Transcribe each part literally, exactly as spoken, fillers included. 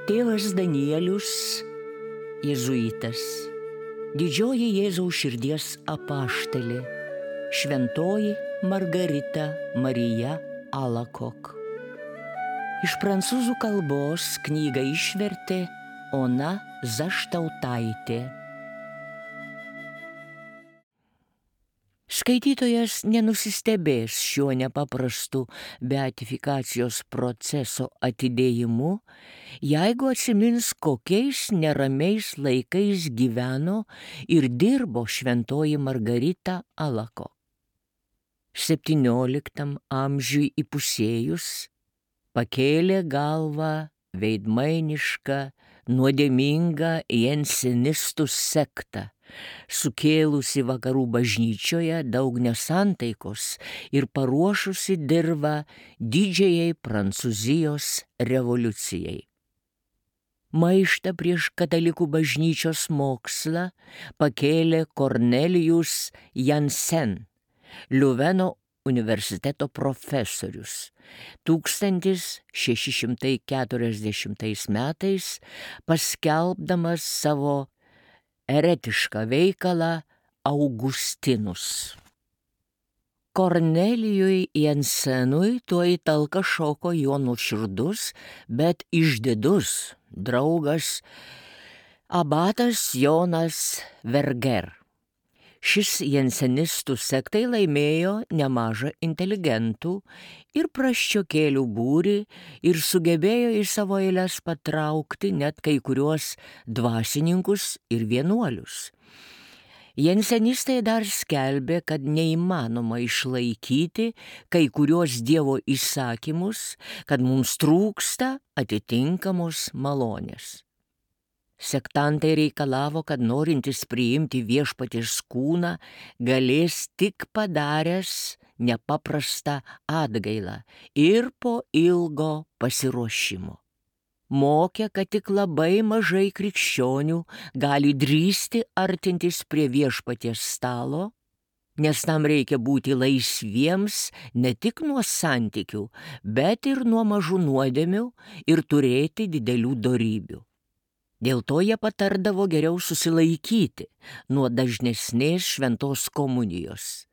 Tėvas Danielius, jėzuitas, didžioji Jėzaus širdies apaštalė, šventoji Margarita Marija Alakok. Iš prancūzų kalbos knygą išvertė Ona Zaštautaitė. Skaitytojas nenusistebės šiuo nepaprastu beatifikacijos proceso atidėjimu, jeigu atsimins, kokiais neramiais laikais gyveno ir dirbo šventoji Margarita Alakok. septynioliktam amžiui įpusėjus pakėlė galvą veidmainišką, nuodėmingą jensenistų sektą, sukėlusi vakarų bažnyčioje daug nesantaikos ir paruošusi dirvą didžiajai Prancūzijos revoliucijai. Maištą prieš katalikų bažnyčios mokslą pakėlė Kornelijus Jansen, Liuveno universiteto profesorius. tūkstantis šeši šimtai keturiasdešimtais metais paskelbdamas savo eretišką veikalą Augustinus. Kornelijui Jansenui tuoj talka šoko jo nuoširdus, bet išdidus draugas abatas Jonas Verger. Šis jensenistų sektai laimėjo nemažą inteligentų ir prasčiokėlių būrį ir sugebėjo į savo eiles patraukti net kai kuriuos dvasininkus ir vienuolius. Jensenistai dar skelbė, kad neįmanoma išlaikyti kai kuriuos Dievo įsakymus, kad mums trūksta atitinkamos malonės. Sektantai reikalavo, kad norintis priimti viešpaties kūną galės tik padaręs nepaprastą atgailą ir po ilgo pasiruošimo. Mokė, kad tik labai mažai krikščionių gali drįsti artintis prie viešpaties stalo, nes tam reikia būti laisviems ne tik nuo santykių, bet ir nuo mažų nuodėmių ir turėti didelių dorybių. Dėl to jie patardavo geriau susilaikyti nuo dažnesnės šventos komunijos.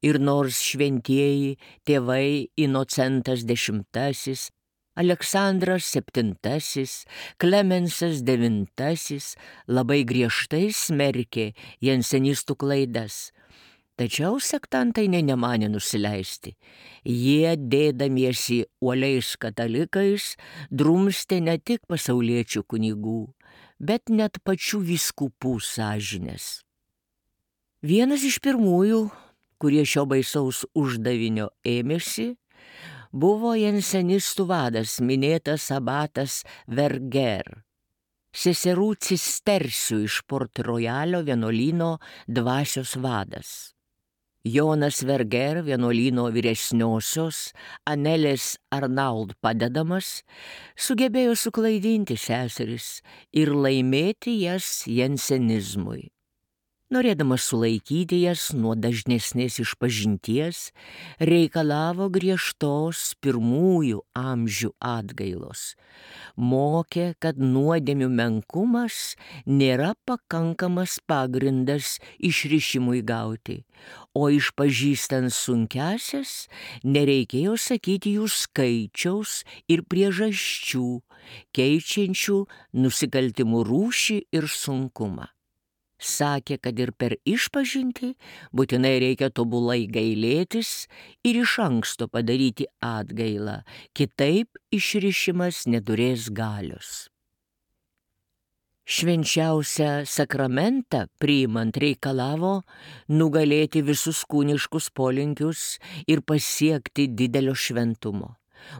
Ir nors šventieji tėvai Inocentas dešimtasis, Aleksandras septintasis, Klemensas devintasis labai griežtai smerkė jensenistų klaidas, tačiau sektantai nė nemanė nusileisti. Jie, dėdamiesi uoliais katalikais, drumstė ne tik pasauliečių kunigų, bet net pačių vyskupų sąžinės. Vienas iš pirmųjų, kurie šio baisaus uždavinio ėmėsi, buvo jensenistų vadas, minėtas abatas Verger, seserų cistersių iš Port Royalio vienuolyno dvasios vadas. Jonas Verger, vienuolyno vyresniosios Anelės Arnauld padedamas, sugebėjo suklaidinti seseris ir laimėti jas jensenizmui. Norėdamas sulaikyti jas nuo dažnesnės išpažinties, reikalavo griežtos pirmųjų amžių atgailos. Mokė, kad nuodėmių menkumas nėra pakankamas pagrindas išrišimui gauti, o išpažįstant sunkiasias nereikėjo sakyti jų skaičiaus ir priežasčių, keičiančių nusikaltimų rūšį ir sunkumą. Sakė, kad ir per išpažintį būtinai reikia tobulai gailėtis ir iš anksto padaryti atgailą, kitaip išrišimas neturės galios. Švenčiausią sakramentą priimant reikalavo nugalėti visus kūniškus polinkius ir pasiekti didelio šventumo.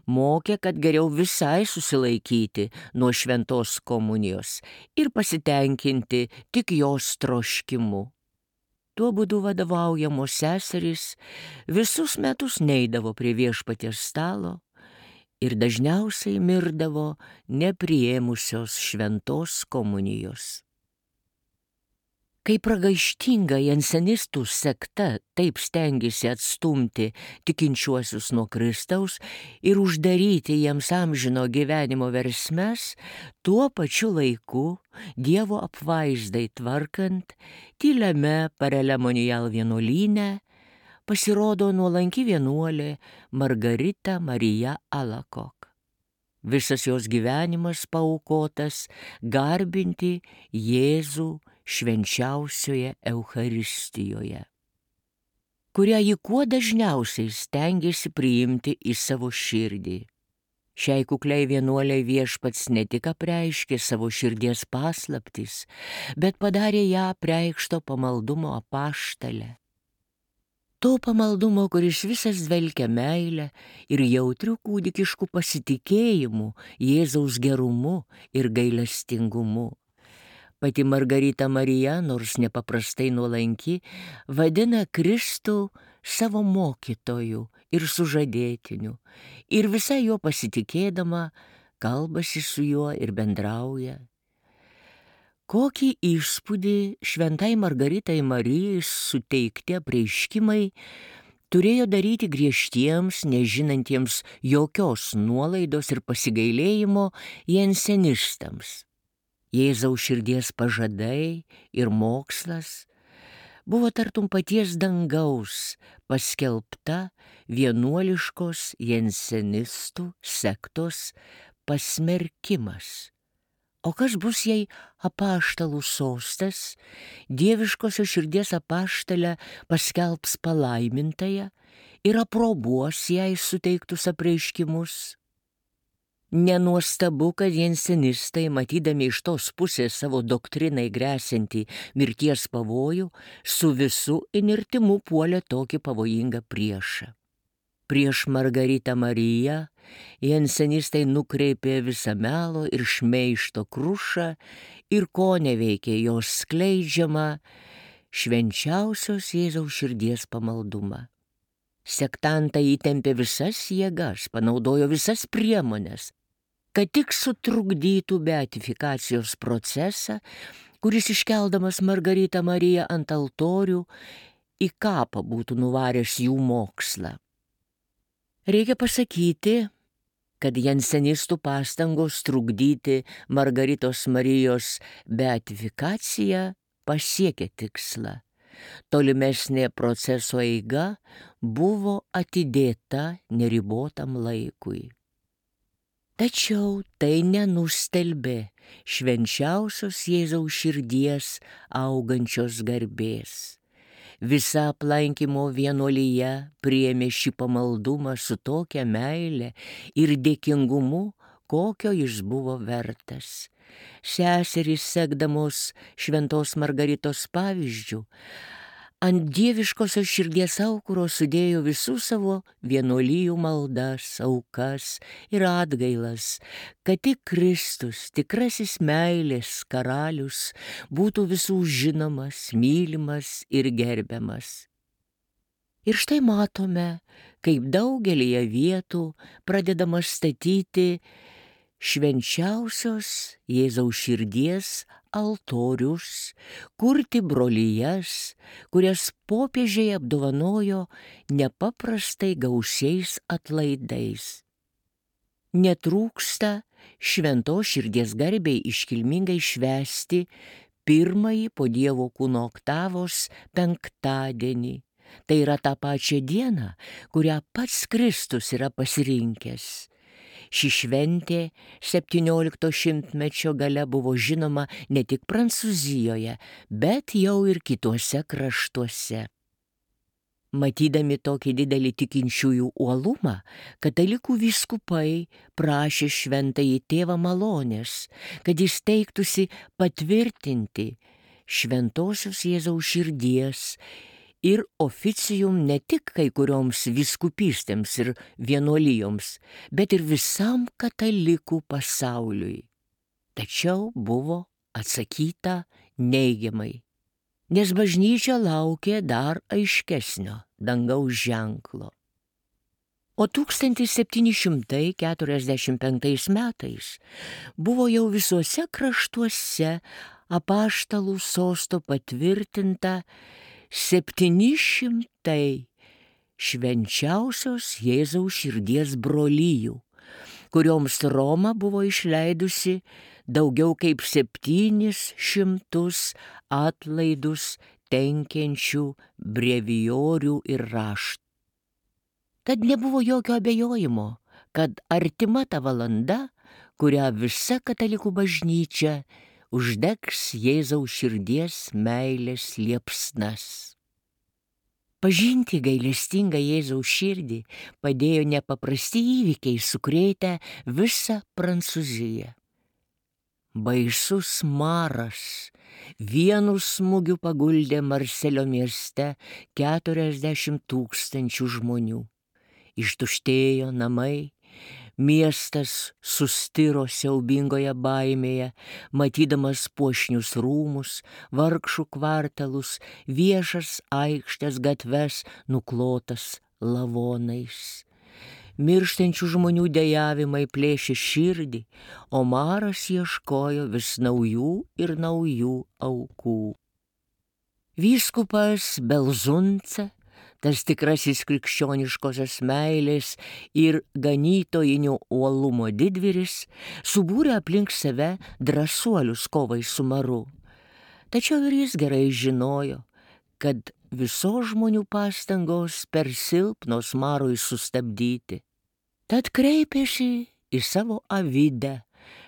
Mokė, kad geriau visai susilaikyti nuo šventos komunijos ir pasitenkinti tik jos troškimu. Tuo būdu vadovaujamos seserys visus metus neidavo prie viešpaties stalo ir dažniausiai mirdavo nepriėmusios šventos komunijos. Kai pragaištinga jansenistų sekta taip stengiasi atstumti tikinčiuosius nuo Kristaus ir uždaryti jiems amžino gyvenimo versmes, tuo pačiu laiku Dievo apvaizdai tvarkant, tyliame Parelemonial vienuolyne pasirodo nuolanki vienuolė Margarita Marija Alacoque. Visas jos gyvenimas paaukotas garbinti Jėzų švenčiausioje Eucharistijoje, kurią ji kuo dažniausiai stengiasi priimti į savo širdį. Šiai kukliai vienuoliai Viešpats ne tik apreiškė savo širdies paslaptis, bet padarė ją apreikšto pamaldumo apaštale. To pamaldumo, kuris visas dvelkia meilę ir jautrių kūdikiškų pasitikėjimų Jėzaus gerumu ir gailestingumu. Pati Margarita Marija, nors nepaprastai nuolanki, vadina Kristų savo mokytoju ir sužadėtiniu, ir visai jo pasitikėdama kalbasi su juo ir bendrauja. Kokį įspūdį šventai Margaritai Marijai suteikti apreiškimai turėjo daryti griežtiems, nežinantiems jokios nuolaidos ir pasigailėjimo jansenistams. Jėzaus širdies pažadai ir mokslas buvo tartum paties dangaus paskelbta vienuoliškos jansenistų sektos pasmerkimas. O kas bus, jei apaštalų sostas, dieviškosios širdies apaštalę paskelbs palaimintąją ir aprobuos jai suteiktus apreiškimus? Nenuostabu, kad jansenistai, matydami iš tos pusės savo doktrinai gresiantį mirties pavojų, su visu įnirtimu puolė tokį pavojingą priešą. Prieš Margaritą Mariją jansenistai nukreipė visą melo ir šmeižto krušą ir ko neveikė jos skleidžiamą švenčiausios Jėzaus širdies pamaldumą. Sektantai įtempė visas jėgas, panaudojo visas priemones, kad tik sutrukdytų beatifikacijos procesą, kuris iškeldamas Margaritą Mariją ant altorių į kapą būtų nuvaręs jų mokslą. Reikia pasakyti, kad jansenistų pastangos trukdyti Margaritos Marijos beatifikaciją pasiekė tikslą. Tolimesnė proceso eiga buvo atidėta neribotam laikui. Tačiau tai nenustelbė švenčiausios Jėzaus širdies augančios garbės. Visa aplankymo vienuolyje priėmė šį pamaldumą su tokia meile ir dėkingumu, kokio jis buvo vertas. Seserys, sekdamos šventos Margaritos pavyzdžiu, ant dieviškosios širdies aukuro sudėjo visų savo vienuolijų maldas, aukas ir atgailas, kad tik Kristus, tikrasis meilės karalius, būtų visų žinomas, mylimas ir gerbiamas. Ir štai matome, kaip daugelyje vietų pradedama statyti švenčiausios Jėzaus širdies altorius, kurti brolijas, kurias popiežiai apdovanojo nepaprastai gausiais atlaidais. Netrūksta šventos širdies garbei iškilmingai švęsti pirmąjį po Dievo kūno oktavos penktadienį. Tai yra tą pačią dieną, kurią pats Kristus yra pasirinkęs. Ši šventė septyniolikto šimtmečio gale buvo žinoma ne tik Prancūzijoje, bet jau ir kituose kraštuose. Matydami tokį didelį tikinčiųjų uolumą, katalikų vyskupai prašė šventąjį tėvą malonės, kad jis teiktųsi patvirtinti šventosios Jėzaus širdies ir oficijum ne tik kai kurioms vyskupystėms ir vienuolijoms, bet ir visam katalikų pasauliui. Tačiau buvo atsakyta neigiamai, nes bažnyčia laukė dar aiškesnio dangaus ženklo. O tūkstantis septyni šimtai keturiasdešimt penktais metais buvo jau visuose kraštuose apaštalų sosto patvirtinta septyni šimtai švenčiausios Jėzaus širdies brolijų, kurioms Roma buvo išleidusi daugiau kaip septynis šimtus atlaidus tenkiančių brevijorių ir raštų. Tad nebuvo jokio abejojimo, kad artima ta valanda, kurią visa katalikų bažnyčia uždegs Jėzaus širdies meilės liepsnas. Pažinti gailestingą Jėzaus širdį padėjo nepaprasti įvykiai sukrėtę visą Prancūziją. Baisus maras vienu smūgiu paguldė Marselio mieste keturiasdešimt tūkstančių žmonių. Ištuštėjo namai, miestas sustiro siaubingoje baimėje, matydamas puošnius rūmus, vargšų kvartalus, viešas aikštės gatves nuklotas lavonais. Mirštančių žmonių dejavimai plėšė širdį, o maras ieškojo vis naujų ir naujų aukų. Vyskupas Belzunce, tas tikrasis krikščioniškosios meilės ir ganytojinio uolumo didvyris, subūrė aplink save drąsuolius kovai su maru. Tačiau ir jis gerai žinojo, kad visos žmonių pastangos per silpnos marui sustabdyti. Tad kreipėsi į savo avidę,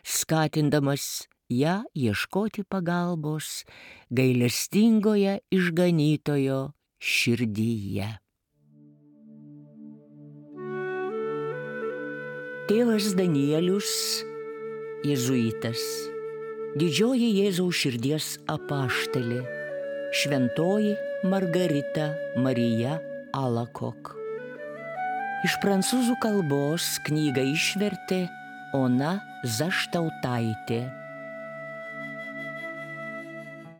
skatindamas ją ieškoti pagalbos gailestingoje išganytojo širdyje. Tėvas Danielius, jėzuitas, didžioji Jėzaus širdies apaštalė, šventoji Margarita Marija Alakok. Iš prancūzų kalbos knygą išvertė Ona Zaštautaitė.